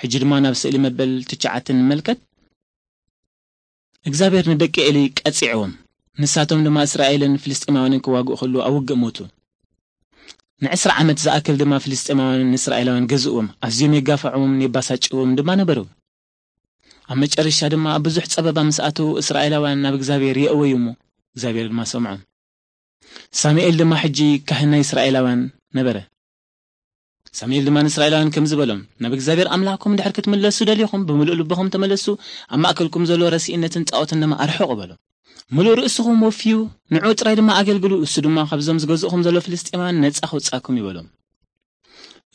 ሕጂ ድማ ናብ ስእሊ መበል ትሽዓተ ንመልከት። እግዚኣብሔር ንደቂ ኤሊ ቀጺዕዎም። ንሳቶም ድማ እስራኤልን ፍልስጤማውያንን ክዋግኡ ከለዉ ኣብ ውግእ ሞቱ። ንዕስራ ዓመት ዝኣክል ድማ ፍልስጤማውያን ንእስራኤላውያን ገዝእዎም፣ ኣዝዮም የጋፍዕዎም የባሳጭዎም ድማ ነበሩ። ኣብ መጨረሻ ድማ ኣብ ብዙሕ ጸበባ ምስ ኣተዉ እስራኤላውያን ናብ እግዚኣብሔር የእወዩ እሞ እግዚኣብሔር ድማ ሰምዖም። ሳሙኤል ድማ ሕጂ ካህን ናይ እስራኤላውያን ነበረ። ሳሙኤል ድማ ንእስራኤላውያን ከምዚ በሎም፣ ናብ እግዚኣብሔር ኣምላኽኩም ድሕር ክትምለሱ ደሊኹም ብምሉእ ልብኹም ተመለሱ፣ ኣብ ማእከልኩም ዘሎ ረሲእነትን ጣዖትን ድማ ኣርሕቑ በሎም። ምሉእ ርእስኹም ወፍዩ ንዑ ጥራይ ድማ ኣገልግሉ፣ እሱ ድማ ካብዞም ዝገዝእኹም ዘሎ ፍልስጤማውያን ነጻ ከውጻኩም ይበሎም።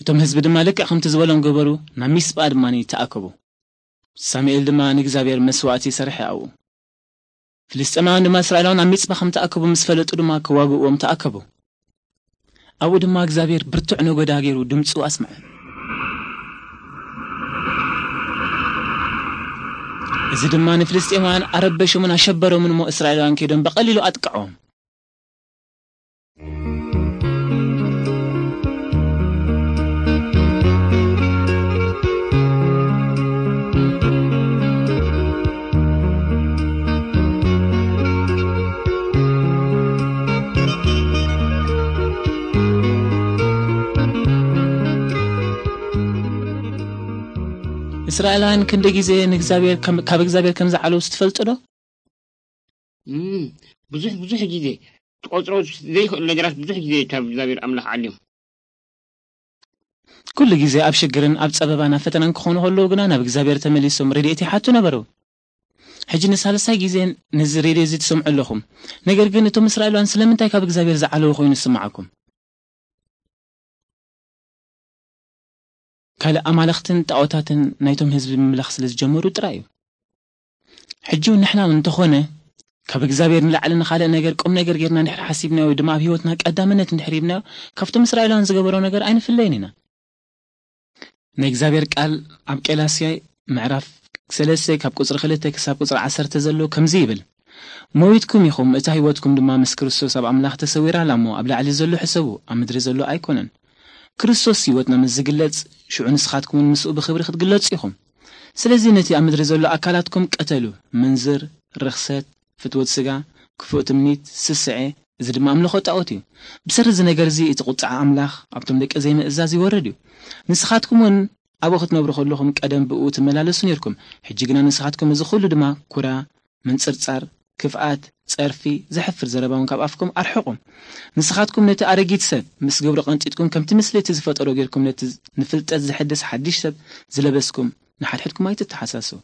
እቶም ህዝቢ ድማ ልክዕ ከምቲ ዝበሎም ገበሩ፣ ናብ ሚስጳ ድማ ተኣከቡ። ሳሙኤል ድማ ንእግዚኣብሔር መስዋእቲ ሰርሐ ኣብኡ። ፍልስጤማውያን ድማ እስራኤላውያን ኣብ ሚጽባ ከም ተኣከቡ ምስ ፈለጡ ድማ ክዋግእዎም ተኣከቡ። ኣብኡ ድማ እግዚኣብሔር ብርቱዕ ነጎዳ ገይሩ ድምፁ ኣስምዐ። እዚ ድማ ንፍልስጤማውያን ኣረበሾምን ኣሸበሮምን እሞ እስራኤላውያን ከይዶም ብቐሊሉ ኣጥቅዖም። እስራኤላውያን ክንደ ግዜ ንእግዚኣብሔር ከም- ካብ እግዚኣብሔር ከም ዝዓለውስ ትፈልጡ ዶ? እም፣ ብዙሕ ብዙሕ ግዜ ትቆፅሮ ዘይክእል ነገራት ብዙሕ ግዜ ካብ እግዚኣብሔር ኣምላኽ ዓልዮም። ኩሉ ግዜ ኣብ ሽግርን ኣብ ጸበባን ኣብ ፈተናን ክኾኑ ከለዉ ግና ናብ እግዚኣብሔር ተመሊሶም ረድኤት ይሓቱ ነበሩ። ሕጂ ንሳልሳይ ግዜ ነዚ ሬድዮ እዚ ትሰምዑ ኣለኹም። ነገር ግን እቶም እስራኤላውያን ስለምንታይ ካብ እግዚኣብሔር ዝዓለዉ ኮይኑ ዝስምዓኩም? ካልእ ኣማልኽትን ጣዖታትን ናይቶም ህዝቢ ምምላኽ ስለ ዝጀመሩ ጥራይ እዩ። ሕጂ እውን ንሕና እውን እንተኾነ ካብ እግዚኣብሔር ንላዕሊ ንኻልእ ነገር ቁም ነገር ጌርና እንድሕር ሓሲብናዮ ወይ ድማ ኣብ ህይወትና ቀዳምነት እንድሕር ሂብናዮ ካብቶም እስራኤላውያን ዝገበሮ ነገር ኣይንፍለይን ኢና። ናይ እግዚኣብሔር ቃል ኣብ ቄላስያይ ምዕራፍ ሰለስተ ካብ ቁፅሪ ክልተ ክሳብ ቁፅሪ ዓሰርተ ዘሎ ከምዚ ይብል፣ ሞይትኩም ኢኹም፣ እታ ህይወትኩም ድማ ምስ ክርስቶስ ኣብ ኣምላኽ ተሰዊራ ኣላ እሞ ኣብ ላዕሊ ዘሎ ሕሰቡ፣ ኣብ ምድሪ ዘሎ ኣይኮነን። ክርስቶስ ህይወትና ምስ ዝግለጽ፣ ሽዑ ንስኻትኩም እውን ምስኡ ብኽብሪ ክትግለጹ ኢኹም። ስለዚ ነቲ ኣብ ምድሪ ዘሎ ኣካላትኩም ቅተሉ፣ ምንዝር፣ ርኽሰት፣ ፍትወት ስጋ፣ ክፉእ ትምኒት፣ ስስዐ፣ እዚ ድማ ኣምልኾ ጣዖት እዩ። ብሰሪ እዚ ነገር እዚ እቲ ቁጥዓ ኣምላኽ ኣብቶም ደቂ ዘይምእዛዝ ይወርድ እዩ። ንስኻትኩም እውን ኣብኡ ክትነብሩ ከለኹም ቀደም ብእኡ ትመላለሱ ነርኩም። ሕጂ ግና ንስኻትኩም እዚ ኩሉ ድማ ኩራ፣ ምንጽርጻር፣ ክፍኣት፣ ጸርፊ፣ ዘሕፍር ዘረባ እውን ካብ ኣፍኩም ኣርሕቑ። ንስኻትኩም ነቲ ኣረጊት ሰብ ምስ ግብሩ ቀንጢጥኩም ከምቲ ምስሊ እቲ ዝፈጠሮ ጌርኩም ነቲ ንፍልጠት ዘሐድስ ሓድሽ ሰብ ዝለበስኩም ንሓድሕድኩም ኣይትተሓሳስቡ።